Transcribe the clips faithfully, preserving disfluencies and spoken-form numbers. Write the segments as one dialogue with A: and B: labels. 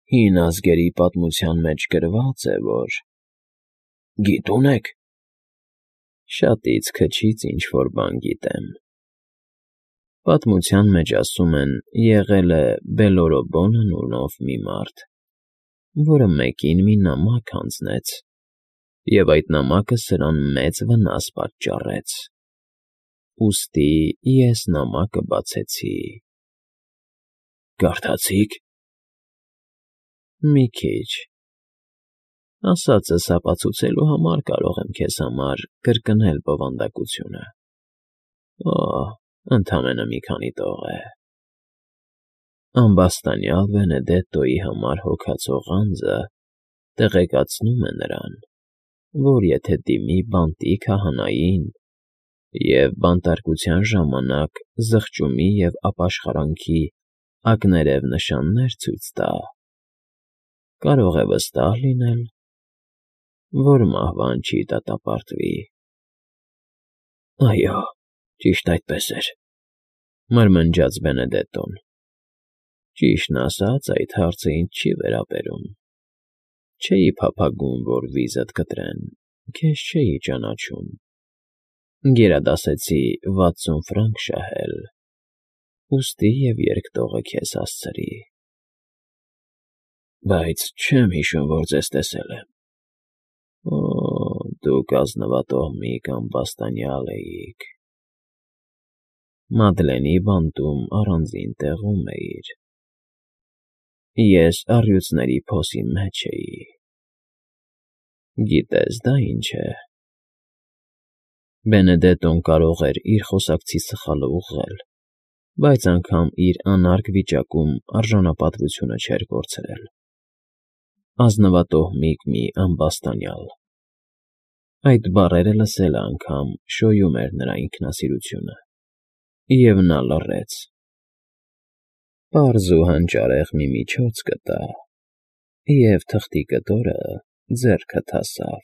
A: Հին ազգերի պատմության մեջ գրված է, որ… Գիտո՞ւն եք։ Շատից քչից ինչ֊որ բան գիտեմ։ Պատմության մեջ ասում են, եղել է Բելորոբոն անունով մի մարդ, որը մեկին մի նամակ հանձնեց, և այդ նամակը սրան մեծ վնաս պատճառեց, ուստի ես նամակը բացեցի։ Կարդացի՞ք։ Մի քիչ։ Ասածս ապացուցելու համար կարող եմ քեզ համար կրկնել բովանդակությունը։ Օ՜, ընդամենը մի քանի տող է… Ամբաստանյալ Բենեդետտոյի համար հոգացող անձը տեղեկացնում է նրան, որ եթե դիմի բանտի քահանային և բանտարկության ժամանակ զղջումի և ապաշխարանքի ակներև նշաններ ցույց տա, կարող է վստահ լինել, որ մահվան չի դատապարտվի։ ֊ Այո, ճիշտ այդպես էր,֊ մրմնջաց Բենեդետտոն։ Ճիշտն ասած, այդ հարցը ինձ չի վերաբերում։ Չէի փափագում, որ վիզդ կտրեն, քեզ չէի ճանաչում, գերադասեցի վաթսուն ֆրանկ շահել, ուստի և երկտողը քեզ հասցրի։ Բայց չեմ հիշում, որ ձեզ տեսել եմ։ Օ՜, դուք ազնվատոհմիկ ամբաստանյալ էիք… Մադլենի բանտում առանձին տեղում էիր… Ես առյուծների փոսի մեջ էի… Գիտես դա ինչ է… Բենեդետտոն կարող էր իր խոսակցի սխալը ուղղել, բայց անգամ իր անարգ վիճակում արժանապատվությունը չէր կորցրել… Ազնվատոհմիկ մի ամբաստանյալ… Այդ բառերը լսելն անգամ շոյում էր նրա ինքնասիրությունը, և նա լռեց… Պարզ ու հանճարեղ մի միջոց գտա, և թղթի կտորը ձեռքդ հասավ…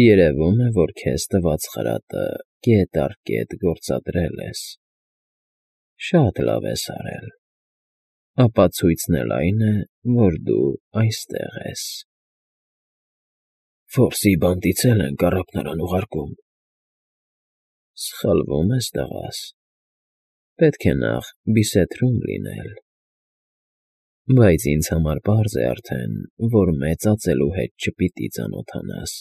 A: Երևում է, որ քեզ տված խրատը կետ առ կետ գործադրել ես… Շատ լավ ես արել… Ապացույցն էլ այն է, որ դու այստեղ ես… Ֆորսի բանտից էլ ենք առափնարան ուղարկում… Սխալվում ես, տղաս… Պետք է նախ Բիսեթրում լինել… Բայց ինձ համար պարզ է արդեն, որ մեծածելու հետ չպիտի ծանոթանաս,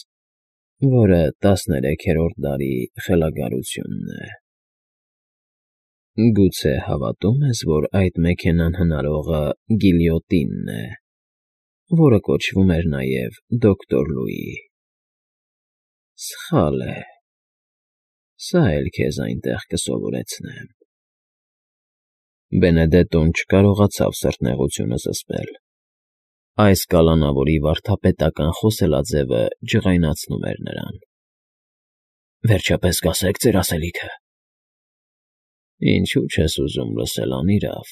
A: որը տասներեքերորդ դարի խելագարությունն է… Գուցե հավատո՞ւմ ես, որ այդ մեքենան հնարողը Գիլյոտինն է, որը կոչվում էր նաև դոկտոր Լուի… Սխալ է… Սա էլ քեզ այնտեղ կսովորեցնեմ… Բենեդետտոն չկարողացավ սրտնեղությունը զսպել… Այս կալանավորի վարդապետական խոսելաձևը ջղայնացնում էր նրան… Վերջապես կասե՞ք ձեր ասելիքը… Ինչո՞ւ չես ուզում լսել, անիրավ,֊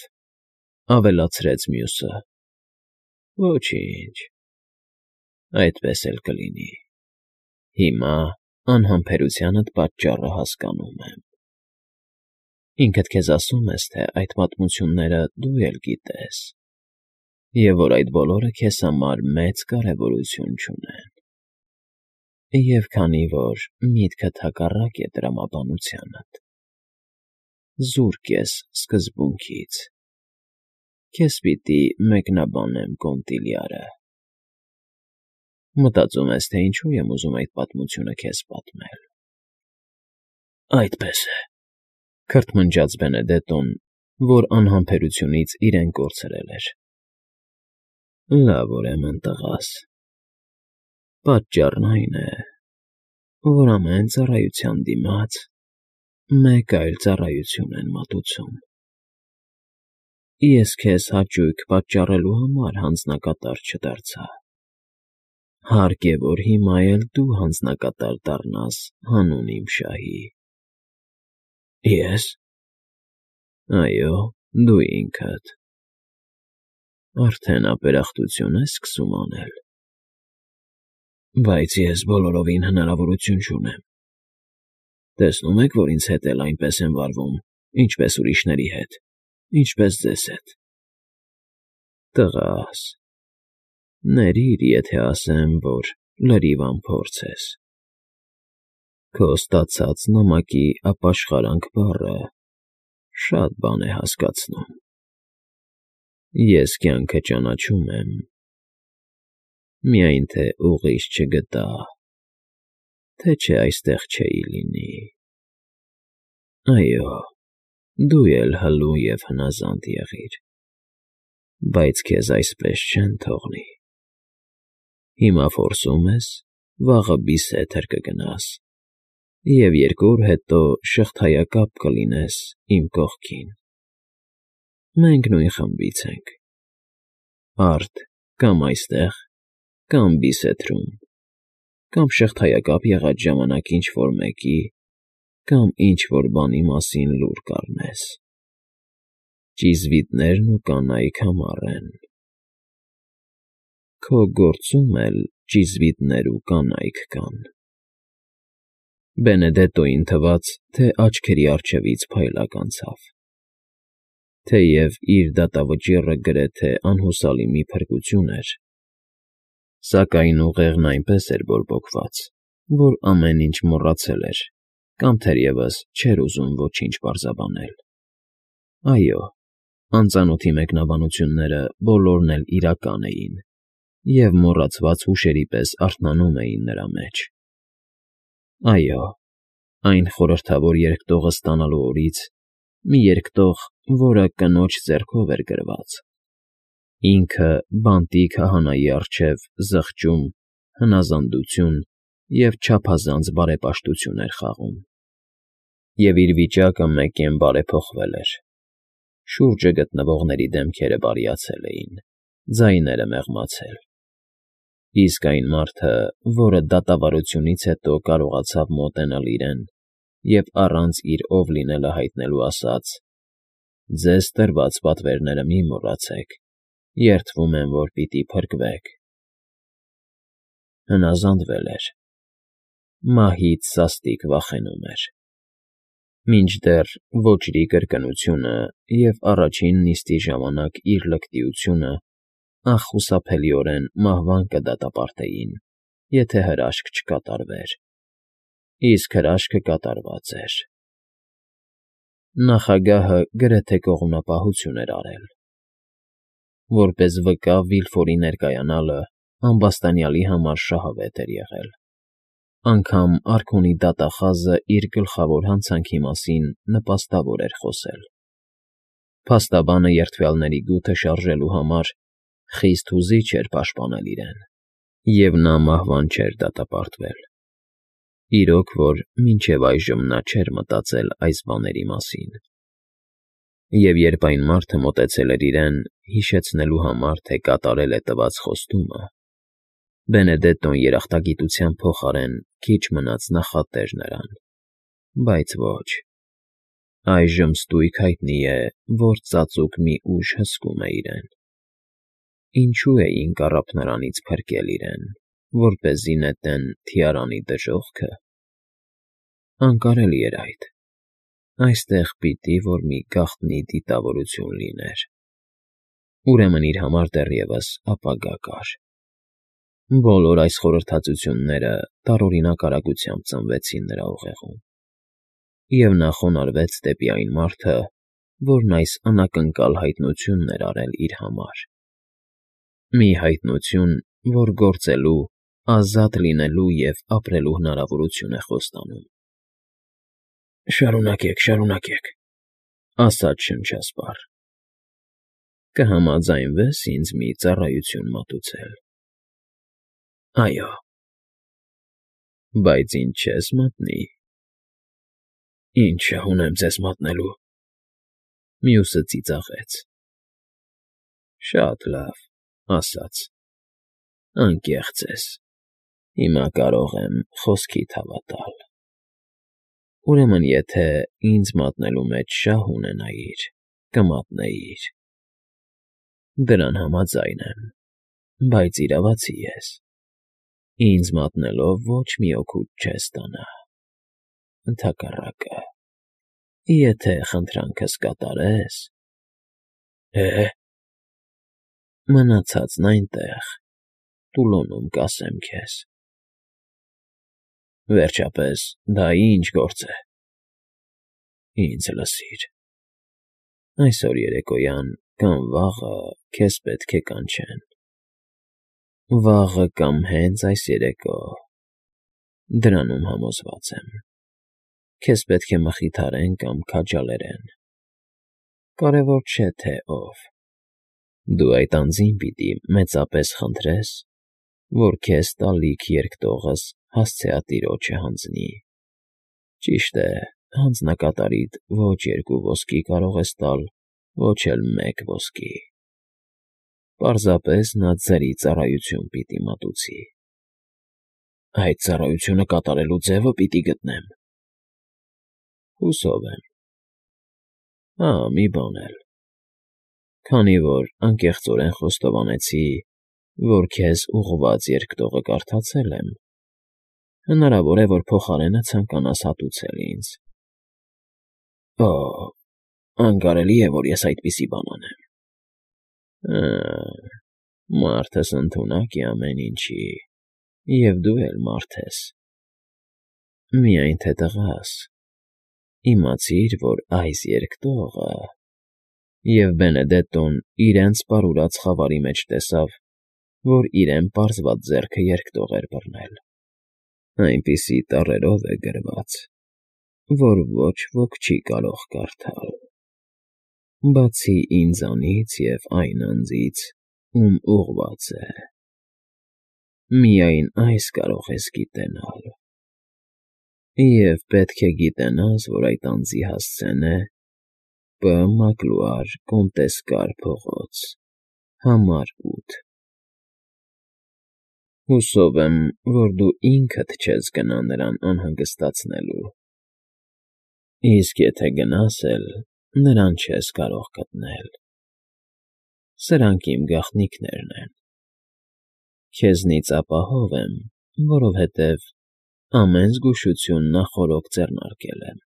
A: ավելացրեց մյուսը։ Ոչինչ… Այդպես էլ կլինի… Հիմա անհամբերությանդ պատճառը հասկանում եմ… Ինքդ քեզ ասում ես, թե այդ պատմությունները դու էլ գիտես, և որ այդ բոլորը քեզ համար մեծ կարևորություն չունեն… Եվ քանի որ միտքդ հակառակ է տրամաբանությանդ, զուրկ ես սկզբունքից, քեզ պիտի մեկնաբանեմ Կոնտիլյարը… Մտածում ես, թե ինչու եմ ուզում այդ պատմությունը քեզ պատմել… Այդպես է,֊ քրթմնջաց Բենեդետտոն, որ անհամբերությունից իրեն կորցրել էր… Լավ, ուրեմն, տղաս… Պատճառն այն է, որ ամեն ծառայության դիմաց մեկ այլ ծառայություն են մատուցում… Ես քեզ հաճույք պատճառելու համար հանձնակատար չդարձա… Հարկ է, որ հիմա էլ դու հանձնակատար դառնաս հանուն իմ շահի… Ե՞ս… Այո, դու ինքդ… Արդեն ապերախտություն ես սկսում անել… Բայց ես բոլորովին հնարավորություն չունեմ… Տեսնում եք, որ ինձ հետ էլ այնպես եմ վարվում, ինչպես ուրիշների հետ, ինչպես ձեզ հետ… Տղաս, ներիր, եթե ասեմ, որ լրիվ անփորձ ես։ Քո ստացած նամակի ապաշխարանք բառը շատ բան է հասկացնում։ Ես կյանքը ճանաչում եմ, միայն թե ուղիղ չգտա, թե չէ այստեղ չէի լինի։ Այո, դու էլ հլու և հնազանդ եղիր, բայց քեզ այսպես չեն թողնի։ Հիմա որսում ես, վաղը բիզեթր կգնաս և երկու օր հետո շղթայակապ կլինես իմ կողքին։ Մենք նույն խմբից ենք, արդ կամ այստեղ, կամ Բիզեթրում, կամ շղթայակապ եղած ժամանակ ինչ֊որ մեկի կամ ինչ֊որ բանի մասին լուր կառնես։ Ճիզվիտներն ու կանայք համառ են։ Քո գործում էլ ճիզվիտներ ու կանայք կան։ Բենեդետտոյին թվաց, թե աչքերի առջևից փայլակ անցավ, թեև իր դատավճիռը գրեթե անհուսալի մի փրկություն էր, սակայն ուղեղն այնպես էր բորբոքված, որ ամեն ինչ մոռացել էր կամ թերևս չէր ուզում ոչինչ պարզաբանել։ Այո, անծանոթի մեկնաբանությունները բոլորն էլ իրական էին և մոռացված հուշերի պես արթնանում էին նրա մեջ։ Այո, այն խորհրդավոր երկտողը ստանալու օրից, մի երկտող, որը կնոջ ձեռքով էր գրված, ինքը բանտի քահանայի առջև զղջում, հնազանդություն և չափազանց բարեպաշտություն էր խաղում։ Եվ իր վիճակը մեկ֊կեն բարեփոխվել էր։ Շուրջը գտնվողների դեմքերը բարիացել էին, ձայները մեղմացել։ Իսկ այն մարդը, որը դատավարությունից հետո կարողացավ մոտենալ իրեն և առանց իր ով լինելը հայտնելու ասաց. «Ձեզ տրված պատվերները մի մոռացեք, երդվում եմ, որ պիտի փրկվեք», հնազանդվել էր, մահից սաստիկ վախենում էր։ Մինչդեռ ոճրի կրկնությունը և առաջին նիստի ժամանակ իր լկտիությունը անխուսափելիորեն մահվան կդատապարտեին, եթե հրաշք չկատարվեր։ Իսկ հրաշքը կատարված էր։ Նախագահը գրեթե կողմնապահություն էր արել։ Որպես վկա Վիլֆորի ներկայանալը ամբաստանյալի համար շահավետ էր եղել։ Անգամ արքունի դատախազը իր գլխավոր հանցանքի մասին նպաստավոր էր խոսել։ Փաստաբանը երդվյալների գութը շարժելու համար խիստ հուզիչ էր պաշտպանել իրեն, և նա մահվան չէր դատապարտվել։ Իրոք որ մինչև այժմ նա չէր մտածել այս բաների մասին։ Եվ երբ այն մարդը մոտեցել էր իրեն՝ հիշեցնելու համար, թե կատարել է տված խոստումը, Բենեդետտոն երախտագիտության փոխարեն քիչ մնաց նախատեր նրան, բայց ոչ, այժմ ստույգ հայտնի է, որ ծածուկ մի ուժ հսկում է իրեն։ Ինչո՞ւ էին կառափ նրանից փրկել իրեն, որպեսզի նետեն թիարանի դժոխքը։ Անկարելի էր այդ։ Այստեղ պիտի որ մի գաղտնի դիտավորություն լիներ։ Ուրեմն իր համար դեռևս ապագա կար։ Բոլոր այս խորհրդածությունները տարօրինակ արագությամբ ծնվեցին նրա ուղեղում, և նա խոնարհվեց դեպի այն մարդը, որն այս անակնկալ հայտնությունն էր արել իր համար։ Մի հայտնություն, որ գործելու, ազատ լինելու և ապրելու հնարավորություն է խոստանում։ «Շարունակեք, շարունակեք,֊ ասաց շնչասպառ,֊ կհամաձայնվե՞ս ինձ մի ծառայություն մատուցել»։ «Այո»։ «Բայց ինձ չես մատնի»։ «Ի՞նչը ունեմ ձեզ մատնելու»։ Մյուսը ծիծաղեց։ «Շատ լավ,֊ ասաց,֊ անկեղծ ես, հիմա կարող եմ խոսքիդ հավատալ։ Ուրեմն եթե ինձ մատնելու մեջ շահ ունենայիր, կմատնեիր։ Դրան համաձայն եմ, բայց իրավացի ես. ինձ մատնելով ոչ մի օգուտ չես ստանա։ Ընդհակառակը, եթե խնդրանքս կատարես… Է՞։ Մնացածն այնտեղ, Տուլոնում կասեմ քեզ։ Վերջապես, դա ի՞նչ գործ է։ Ինձ լսիր։ Այսօր երեկոյան կամ վաղը քեզ պետք է կանչեն։ Վաղը կամ հենց այս երեկո, դրանում համոզված եմ, քեզ պետք է մխիթարեն կամ քաջալերեն, կարևոր չէ, թե ով, դու այդ անձին պիտի մեծապես խնդրես, որ քեզ տալիք երկտողս հասցեատիրոջը հանձնի, ճիշտ է, հանձնակատարիդ ոչ երկու ոսկի կարող ես տալ, ոչ էլ մեկ ոսկի, պարզապես նա ձրի ծառայություն պիտի մատուցի։ Այդ ծառայությունը կատարելու ձևը պիտի գտնեմ։ Հուսով եմ։ Հա, մի բան էլ, քանի որ անկեղծորեն խոստովանեցի, որ քեզ ուղղված երկտողը կարդացել եմ, հնարավոր է, որ փոխարենը ցանկանաս հատուցել ինձ։ Օ, անկարելի է, որ ես այդպիսի բան անեմ։ Հը, մարդս ընդունակ է ամեն ինչի, և դու էլ մարդ ես։ Միայն թե տղաս, իմացիր, որ այս երկտողը… Եվ Բենեդետտոն իրենց պարուրած խավարի մեջ տեսավ, որ իրեն պարզված ձեռքը երկտող էր բռնել, այնպիսի տառերով է գրված, որ ոչ ոք չի կարող կարդալ, բացի ինձանից և այն անձից, ում ուղղված է։ Միայն այս կարող ես գիտենալ։ Եվ պետք է գիտենաս, որ այդ անձի հասցեն է Բ. Մակլուար Կոնտեսկար փողոց, համար ութ։ Հուսով եմ, որ դու ինքդ չես գնա նրան անհանգստացնելու, իսկ եթե գնաս էլ, նրան չես կարող գտնել։ Սրանք իմ գաղտնիքներն են։ Քեզնից ապահով եմ, որովհետև ամեն զգուշություն նախօրոք ձեռնարկել եմ։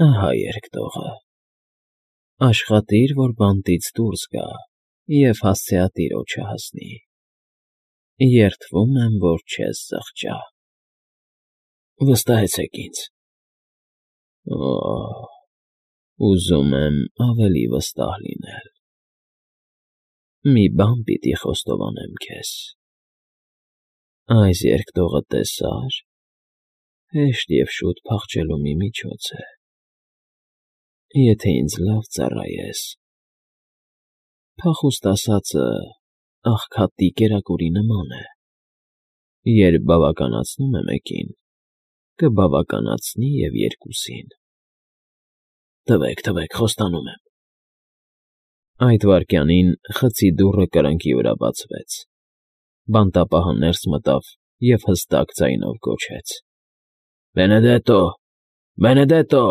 A: Ահա երկտողը։ Աշխատիր, որ բանտից դուրս գա և հասցեատիրոջը հասնի։ Երդվում եմ, որ չես զղջա։ Վստահեցեք ինձ։ Օ, ուզում եմ ավելի վստահ լինել։ Մի բան պիտի խոստովանեմ քեզ. այս երկտողը տեսա՞ր, հեշտ և շուտ փախչելու մի միջոց է, եթե ինձ լավ ծառայես։ Փախուստ ասածը աղքատի կերակուրի նման է. երբ բավականացնում է մեկին, կբավականացնի և երկուսին։ Տվեք, տվեք, խոստանում եմ։ Այդ վայրկյանին խցի դուռը կրկնակի վրա բացվեց, բանտապահը ներս մտավ և հստակ ձայնով գոչեց. Բենեդետո, Բենեդետո։